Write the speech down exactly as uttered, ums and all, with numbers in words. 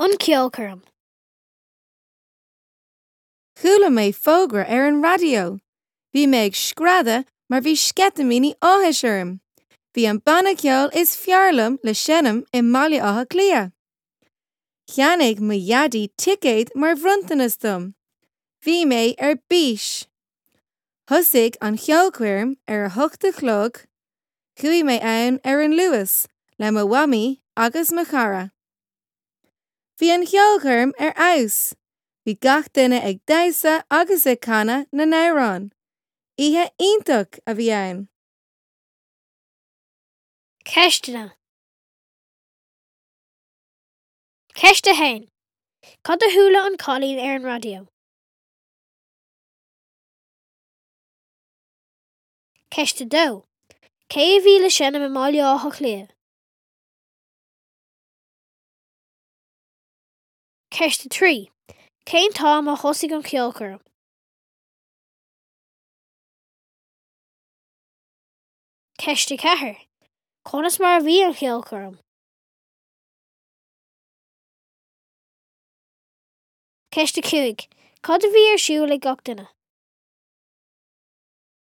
An ceolchoirm. Chuala mé fógra ar an raidió. Bhí mé ag screadadh mar bhí sceitimíní áthais orm. Bhí an banna ceoil is fearr liom le seinm i mBaile Átha Cliath. Cheannaigh mo dhaidí ticéad mar bhronntanas dom. Bhí mé ar bís. Thosaigh an cheolchoirm ar a hocht a chlog, chuaigh mé ann ar an Luas le mo mhamaí agus mo chara. Bhí an cheolchoirm ar fheabhas, bhí gach duine ag damhsa agus ag canadh na n-amhrán. Oíche iontach a bhí ann. Ceisteanna. Ceist a haon. Cad a chuala an cailín ar an raidió? Ceist a dó. Cé a bhí le seinm i mBaile Átha Cliath? Ceist a trí. Cén t-am a thosaigh an cheolchoirm? Ceist a ceathair. Conas mar a bhí an cheolchoirm? Ceist a cúig. Cad a bhí ar siúl ag gach duine?